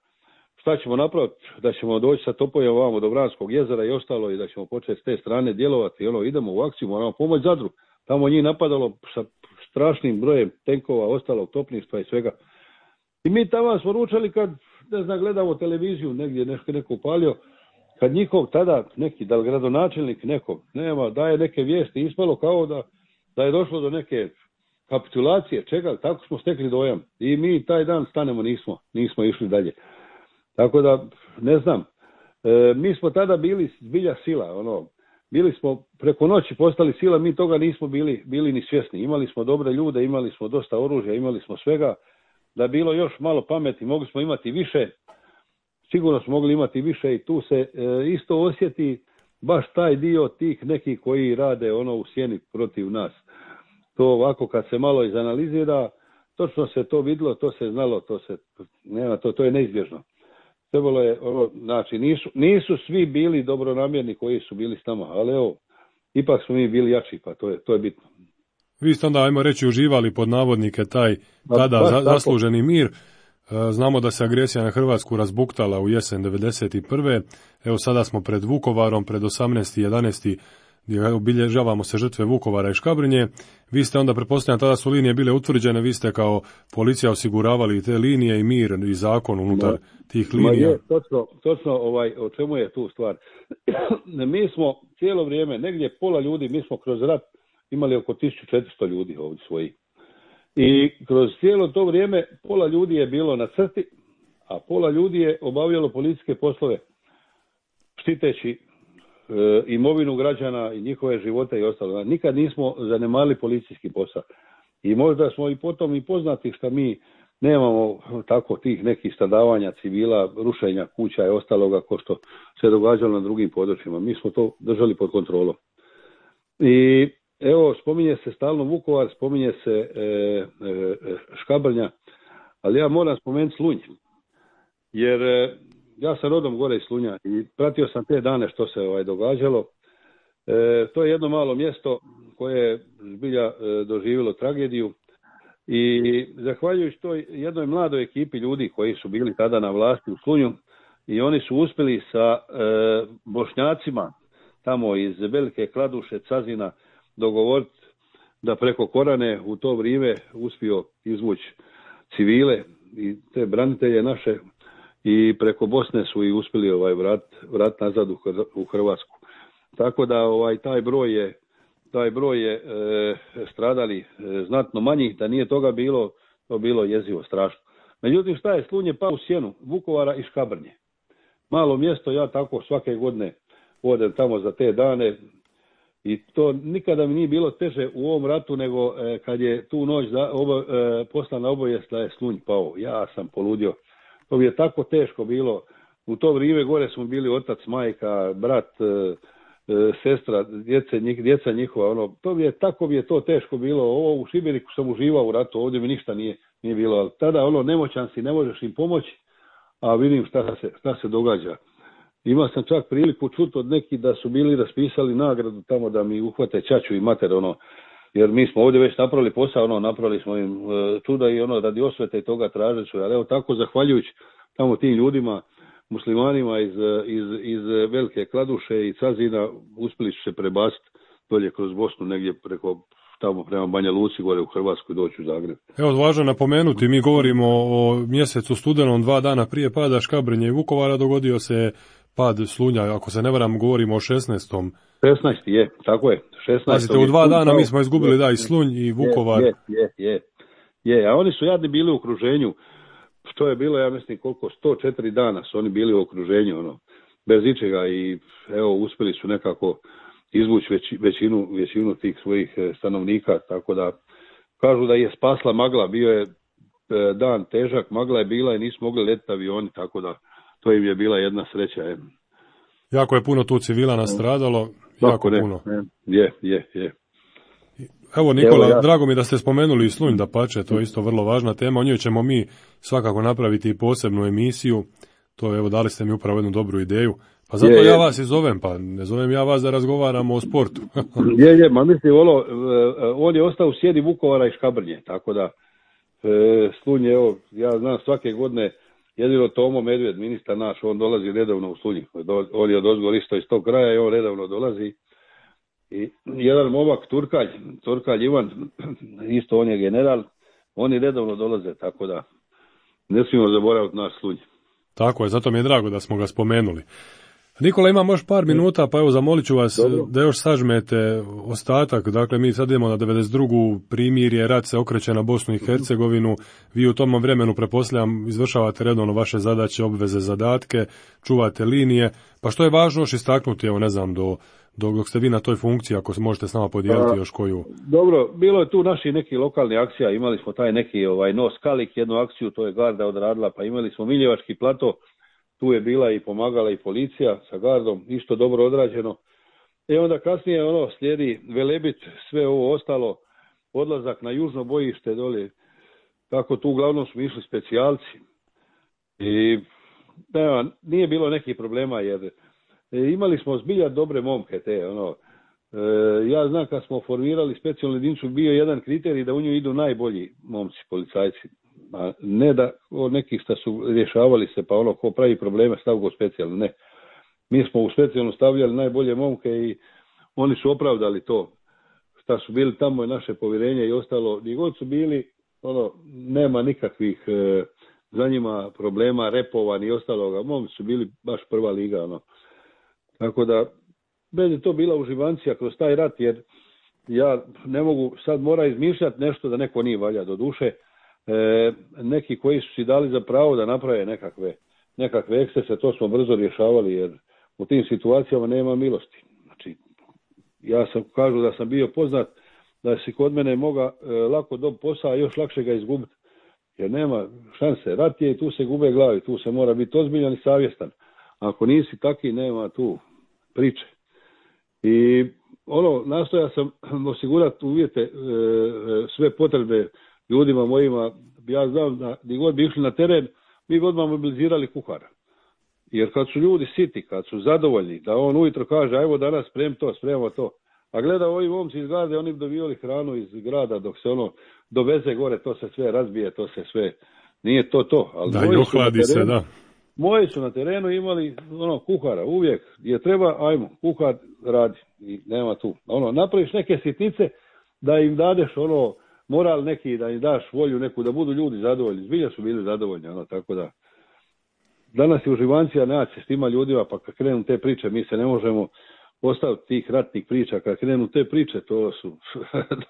šta ćemo napraviti, da ćemo doći sa topovima ovamo do Vranskog jezera i ostalo i da ćemo početi s te strane djelovati. I ono, idemo u akciju, moramo pomoći Zadru. Tamo njih napadalo sa strašnim brojem tenkova, ostalog topništva i svega. I mi tamo smo ručali kad, ne znam, gledamo televiziju, negdje nešto neko upalio, kad njihov tada neki, da li gradonačelnik neko, nema, daje neke vijesti, ispalo kao da, da je došlo do neke kapitulacije, čega, tako smo stekli dojam. I mi taj dan stanemo, nismo, nismo išli dalje. Tako da, ne znam, e, mi smo tada bili zbilja sila, ono, bili smo preko noći postali sila, mi toga nismo bili, bili ni svjesni. Imali smo dobre ljude, imali smo dosta oružja, imali smo svega. Da je bilo još malo pameti, mogli smo imati više. Sigurno smo mogli imati više i tu se e, isto osjeti baš taj dio tih nekih koji rade ono u sjeni protiv nas. To ovako kad se malo izanalizira, točno se to vidjelo, to se znalo, to se nema, to, to je neizbježno. Trebalo je, ono, znači nisu, nisu svi bili dobronamjerni koji su bili s nama, ali evo, ipak smo mi bili jači, pa to je, to je bitno. Vi ste onda, ajmo reći, uživali pod navodnike taj tada ba, za, zasluženi mir. Znamo da se agresija na Hrvatsku razbuktala u jesen devedeset prve. Evo sada smo pred Vukovarom, pred osamnaesti jedanaesti gdje obilježavamo se žrtve Vukovara i Škabrnje. Vi ste onda, pretpostavljam, tada su linije bile utvrđene, vi ste kao policija osiguravali te linije i mir i zakon unutar no, tih linija. Je, točno, točno ovaj, o čemu je tu stvar. Mi smo cijelo vrijeme, negdje pola ljudi, mi smo kroz rat imali oko tisuću četiristo ljudi ovdje svoji. I kroz cijelo to vrijeme pola ljudi je bilo na crti, a pola ljudi je obavljalo policijske poslove, štiteći e, imovinu građana i njihove živote i ostalo. Nikad nismo zanemarili policijski posao. I možda smo i potom i poznati što mi nemamo tako tih nekih stradavanja civila, rušenja kuća i ostaloga ko što se događalo na drugim područjima. Mi smo to držali pod kontrolom. I evo, spominje se stalno Vukovar, spominje se e, e, Škabrnja, ali ja moram spomenuti Slunj, jer e, ja sam rodom gore iz Slunja i pratio sam te dane što se ovaj događalo. E, to je jedno malo mjesto koje je zbilja e, doživjelo tragediju i zahvaljujući toj jednoj mladoj ekipi ljudi koji su bili tada na vlasti u Slunju i oni su uspjeli sa e, Bošnjacima tamo iz Velike Kladuše, Cazina, dogovoriti da preko Korane u to vrijeme uspio izvući civile i te branitelje naše i preko Bosne su i uspjeli ovaj vrat, vrat nazad u Hrvatsku. Tako da ovaj taj broj je taj broj je e, stradali e, znatno manji, da nije toga bilo, to bilo jezivo, strašno. Međutim, šta je, Slunj je pao u sjenu Vukovara i Škabrnje. Malo mjesto, ja tako svake godine odem tamo za te dane. I to nikada mi nije bilo teže u ovom ratu nego e, kad je tu noć da, obo, e, poslana obavijest da je Slunj pao. Ja sam poludio. To bi je tako teško bilo. U to vrijeme gore smo bili otac, majka, brat, e, e, sestra, djece, njih, djeca njihova. Ono, to bi je, tako bi je to teško bilo. Ovo u Šibeniku sam uživao u ratu, ovdje mi ništa nije, nije bilo. Ali tada ono, nemoćan si, ne možeš im pomoći, a vidim šta se, šta se događa. Imao sam čak priliku čuti od nekih da su bili raspisali nagradu tamo da mi uhvate ćaću i mater, ono, jer mi smo ovdje već napravili posao, ono, napravili smo im e, čuda i ono, radi osvete i toga tražili su, ali evo tako, zahvaljujući tamo tim ljudima, muslimanima iz, iz, iz Velike Kladuše i Cazina, uspjeli su se prebaciti dolje kroz Bosnu, negdje preko, tamo prema Banja Luci, gore u Hrvatsku i doći u Zagreb. Evo, važno napomenuti, mi govorimo o mjesecu studenom, dva dana prije pada Škabrnje i Vukovara, dogodio se pad Slunja, ako se ne varam, govorimo o šesnaestom šesnaesti je, tako je. šesnaesti Pazite, u dva dana mi smo izgubili, da, i Slunj i Vukovar. Je, je, je, je. A oni su jadni bili u okruženju, što je bilo, ja mislim, koliko, sto četiri dana su oni bili u okruženju, ono, bez ičega i evo, uspjeli su nekako izvući već, većinu, većinu tih svojih stanovnika, tako da kažu da je spasla magla, bio je dan težak, magla je bila i nisu mogli letiti avioni, tako da to im je bila jedna sreća. Je. Jako je puno tu civila nastradalo, Tako jako ne, puno. Ne. Je, je, je. Evo Nikola, Evo ja. drago mi da ste spomenuli i Slunj, da pače, to je isto vrlo važna tema, o njoj ćemo mi svakako napraviti i posebnu emisiju, to evo dali ste mi upravo jednu dobru ideju, pa zato je, ja je. vas i zovem, pa ne zovem ja vas da razgovaramo o sportu. je, je, ma mislim, ono, on je ostao u sjedi Vukovara i Škabrnje, tako da e, Slunj, evo, ja znam svake godine, jedino Tomo Medved, ministar naš, on dolazi redovno u Slunj. On je odozgor isto iz tog kraja i on redovno dolazi. I jedan momak, Turkalj, Turkalj Ivan, isto on je general, oni redovno dolaze, tako da ne smijemo zaboraviti naš Slunj. Tako je, zato mi je drago da smo ga spomenuli. Nikola, imamo još par minuta, pa evo zamolit ću vas Dobro. da još sažmete ostatak. Dakle, mi sad idemo na devedeset drugu primirje, rat se okreće na Bosnu i Hercegovinu. Vi u tom vremenu, pretpostavljam, izvršavate redovno vaše zadaće, obveze, zadatke, čuvate linije. Pa što je važno još istaknuti, evo ne znam, do, do, dok ste vi na toj funkciji, ako se možete s nama podijeliti A, još koju? Dobro, bilo je tu naši neki lokalni akcija, imali smo taj neki ovaj, nos Kalik, jednu akciju, to je Garda odradila, pa imali smo Miljevački plato. Tu je bila i pomagala i policija sa gardom, isto dobro odrađeno. I onda kasnije ono slijedi Velebit, sve ovo ostalo, odlazak na južno bojište dole, kako tu uglavnom smo išli specijalci. I nema, nije bilo nekih problema jer imali smo zbilja dobre momke te, ono. E, ja znam kad smo formirali specijalnu jedinicu, bio jedan kriterij da u nju idu najbolji momci, policajci. a ne da od nekih što su rješavali se, pa ono ko pravi probleme stav go specijalno, ne. Mi smo u specijalno stavljali najbolje momke i oni su opravdali to, šta su bili tamo i naše povjerenje i ostalo, gdje god su bili, ono, nema nikakvih e, za njima problema, repova ni ostaloga, momci su bili baš prva liga, ono. Tako da, bez je to bila uživancija kroz taj rat, jer ja ne mogu, sad mora izmišljati nešto da neko nije valja, do duše, e, neki koji su si dali za pravo da naprave nekakve, nekakve ekscese, to smo brzo rješavali, jer u tim situacijama nema milosti. Znači, ja sam, kažu da sam bio poznat, da si kod mene moga e, lako dobiti posao, a još lakše ga izgubiti. Jer nema šanse. Rat je i tu se gube glavi, tu se mora biti ozbiljan i savjestan. Ako nisi taki, nema tu priče. I ono, nastoja sam osigurati uvjete, e, sve potrebe ljudima mojima. Ja znam da gdje god bi išli na teren, mi bi odmah mobilizirali kuhara. Jer kad su ljudi siti, kad su zadovoljni, da on ujutro kaže, ajmo danas sprem to, spremamo to. A gleda ovi momci iz garde, oni bi dobivali hranu iz grada dok se ono doveze gore, to se sve razbije, to se sve, nije to to. Ali da, i ohladi se, da. Moji su na terenu imali ono kuhara, uvijek je treba, ajmo, kuhar radi i nema tu. Ono, napraviš neke sitnice da im dadeš ono moral neki, da im daš volju neku, da budu ljudi zadovoljni. Zbilja su bili zadovoljni, ono, tako da. Danas je uživancija naći s tima ljudima, pa kad krenu te priče, mi se ne možemo ostaviti tih ratnih priča. Kad krenu te priče, to su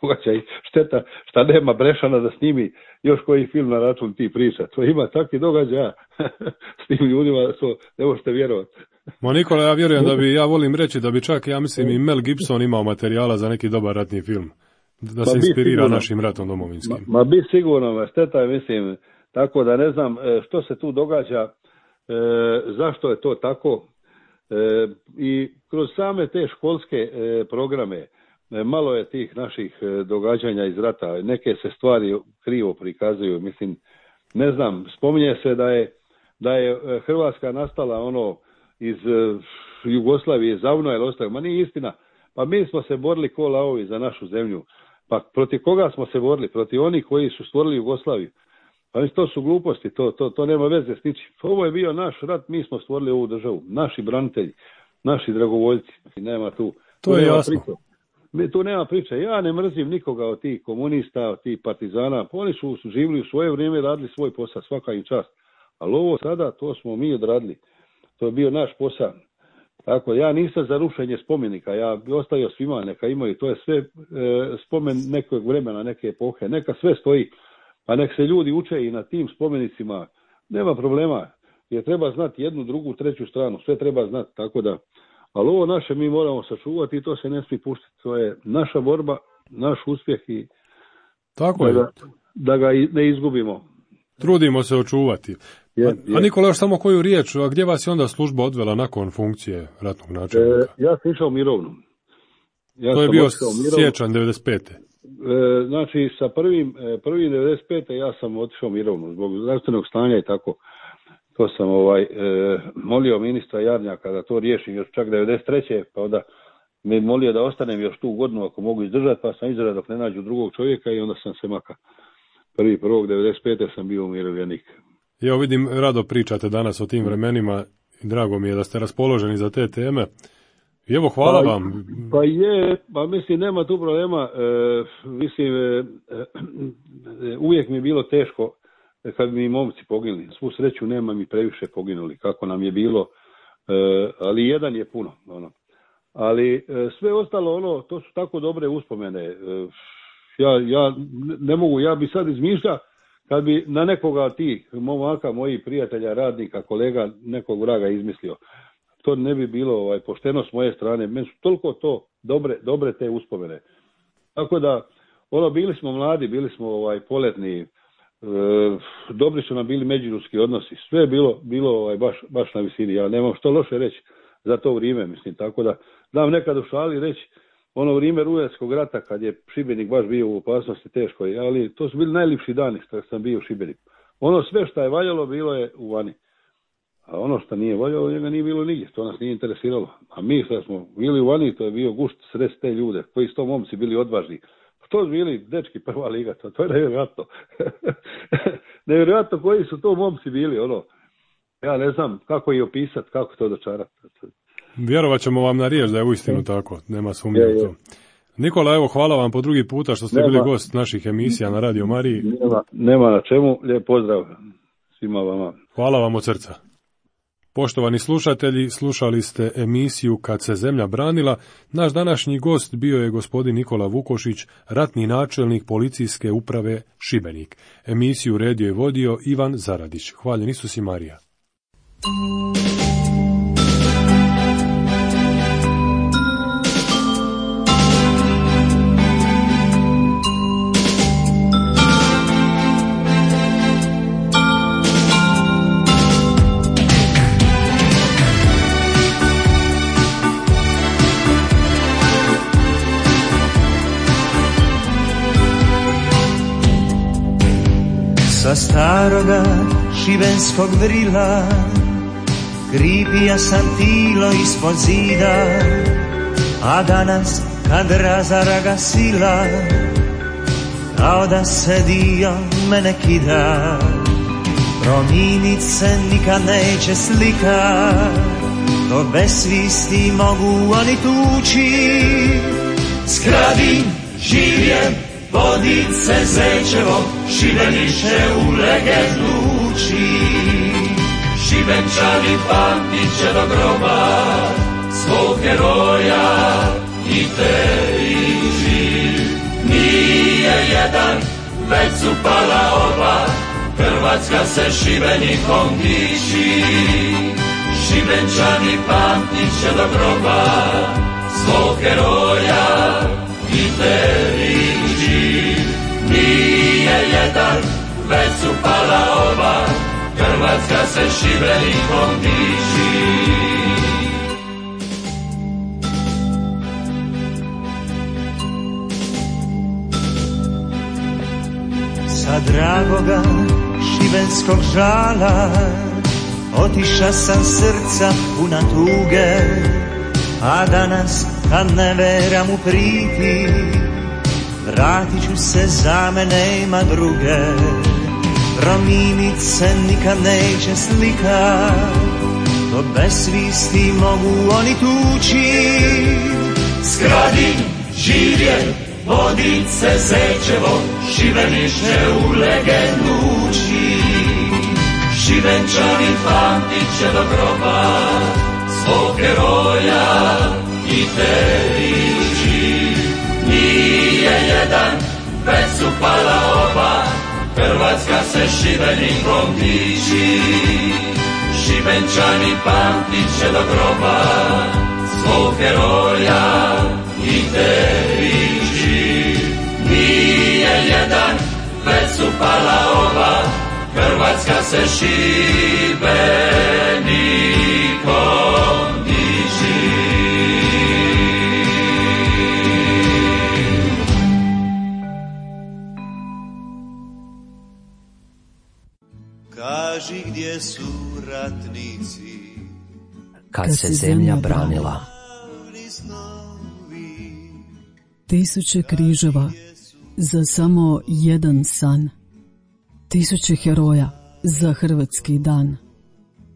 događaj šteta šta nema Brešana da snimi još koji film na račun tih priča. To ima takvi događaja s tim ljudima, to ne možete vjerovati. Ma Nikola, ja vjerujem da bi, ja volim reći da bi čak, ja mislim, i Mel Gibson imao materijala za neki dobar ratni film. Da se inspirira sigurno našim ratom domovinskim. Ma, ma bi sigurno, šteta je, mislim, tako da ne znam što se tu događa. E, zašto je to tako e, i kroz same te školske e, programe e, malo je tih naših e, događanja iz rata, neke se stvari krivo prikazuju, mislim, ne znam, spominje se da je, da je Hrvatska nastala ono iz e, Jugoslavije, zavno je ostalo, ma nije istina, pa mi smo se borili ko lavovi za našu zemlju, pa protiv koga smo se borili? Protiv onih koji su stvorili Jugoslaviju. Pa to su gluposti, to, to, to nema veze s ničim. Ovo je bio naš rat, mi smo stvorili ovu državu, naši branitelji, naši dragovoljci, nema tu. To tu je jasno. Priče. Tu nema priče, ja ne mrzim nikoga od tih komunista, od tih partizana, oni su živjeli u svoje vrijeme, radili svoj posao, svaka im čast. Ali ovo sada, to smo mi odradili, to je bio naš posao. Tako, ja nisam za rušenje spomenika, ja bi ostavio svima, neka imaju, to je sve e, spomen nekog vremena, neke epohe, neka sve stoji. Pa nek se ljudi uče i na tim spomenicima, nema problema, jer treba znati jednu, drugu, treću stranu, sve treba znati, tako da, ali ovo naše mi moramo sačuvati i to se ne smije puštiti, to je naša borba, naš uspjeh i tako da, je. Ga, da ga ne izgubimo. Trudimo se očuvati. Je, a, je. a Nikola, još samo koju riječ, a gdje vas je onda služba odvela nakon funkcije ratnog načelnika? E, ja sam išao mirovnu. Ja to je bio siječanj devedeset pete. E, znači, sa prvim, prvim devedeset pete ja sam otišao mirovnu zbog zdravstvenog stanja i tako. To sam ovaj e, molio ministra Jarnjaka da to riješim još čak devedeset treće pa onda me molio da ostanem još tu godinu ako mogu izdržati, pa sam izdržao dok ne nađu drugog čovjeka i onda sam se maka. Prvi prvog devedeset pete sam bio umirovljenik. Evo vidim, rado pričate danas o tim vremenima i drago mi je da ste raspoloženi za te teme. I evo, hvala pa, vam. Pa je, pa mislim, nema tu problema. E, mislim, e, e, uvijek mi je bilo teško kad mi momci poginuli. Svu sreću nema mi previše poginuli, kako nam je bilo, e, ali jedan je puno. Ono. Ali e, sve ostalo, ono, to su tako dobre uspomene. E, ja, ja ne mogu, ja bi sad izmišljao kad bi na nekoga od tih momaka, mojih prijatelja, radnika, kolega, nekog vraga izmislio. To ne bi bilo ovaj, pošteno s moje strane. Meni su toliko to dobre, dobre te uspomene. Tako da, ono, bili smo mladi, bili smo ovaj, poletni, e, dobri su nam bili međuljudski odnosi. Sve je bilo, bilo ovaj, baš, baš na visini. Ja nemam što loše reći za to vrijeme, mislim. Tako da, dam nekad u šali reći, ono vrijeme Rujarskog rata, kad je Šibenik baš bio u opasnosti teško, ali to su bili najljepši dani što sam bio u Šibeniku. Ono sve što je valjalo, bilo je u vani. A ono što nije voljelo, njega nije bilo nigdje, to nas nije interesiralo. A mi što smo bili u vani, to je bio gušt srest te ljude, koji su to momci bili odvažni. To su bili dečki prva liga, to, to je nevjerojatno. Nevjerojatno koji su to momci bili, ono. Ja ne znam kako ih opisati, kako to dočarati. Vjerovat ćemo vam na riječ da je uistinu tako, nema sumnje u to. Nikola, evo, hvala vam po drugi puta što ste nema, bili gost naših emisija na Radio Mariji. Nema, nema na čemu, lijep pozdrav svima vama. Hvala vam od srca. Poštovani slušatelji, slušali ste emisiju Kad se zemlja branila. Naš današnji gost bio je gospodin Nikola Vukošić, ratni načelnik policijske uprave Šibenik. Emisiju redio i vodio Ivan Zaradić. Hvaljen Isus i Marija. Sa staroga šibenskog vrila kripija sam tilo ispod zida, a danas kad razara ga sila, kao da se dio mene kida. Promijenit se nikad neće slika, to bez svisti mogu oni tući. Skradim, živjem, vodit se Zečevo, Šibeniće u legendu uči. Šibenčani pamtit će do groba svog heroja i teriži. Nije jedan, već su pala oba, Hrvatska se Šibenikom diči. Šibenčani pamtit će do groba svog heroja i teriži. Nije jedan, već su pala oba, Hrvatska se Šibenikom diči. Sa dragoga šibenskog žala otiša sam srca puna tuge, a danas kad ne veram u priti, vratit ću se, za mene ima druge. Promijenit se nikad neće slika, to bez svisti mogu oni tući. Skradim, živjem, vodit se Zečevo, Šibeniće u legendu uči. Šibenčani pamtit će do groba svog heroja i teriži. Nije jedan, već su pala oba, Hrvatska se Šibenikom diči. Šibenčani pamtit će do groba svog heroja i teriži. Nije jedan, već su pala oba, Hrvatska se Šibenikom diči. Kaži gdje su ratnici, kad se zemlja branila. Tisuće križeva za samo jedan san. Tisuće heroja za hrvatski dan.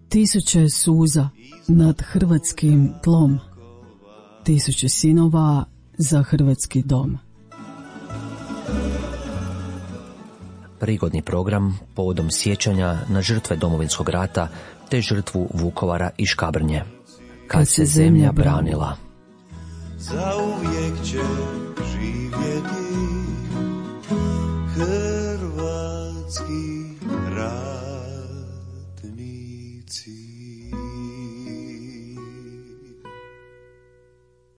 Tisuće suza nad hrvatskim tlom. Tisuće sinova za hrvatski dom. Prigodni program povodom sjećanja na žrtve Domovinskog rata te žrtvu Vukovara i Škabrnje. Kad se zemlja branila. Zauvijek će živjeti.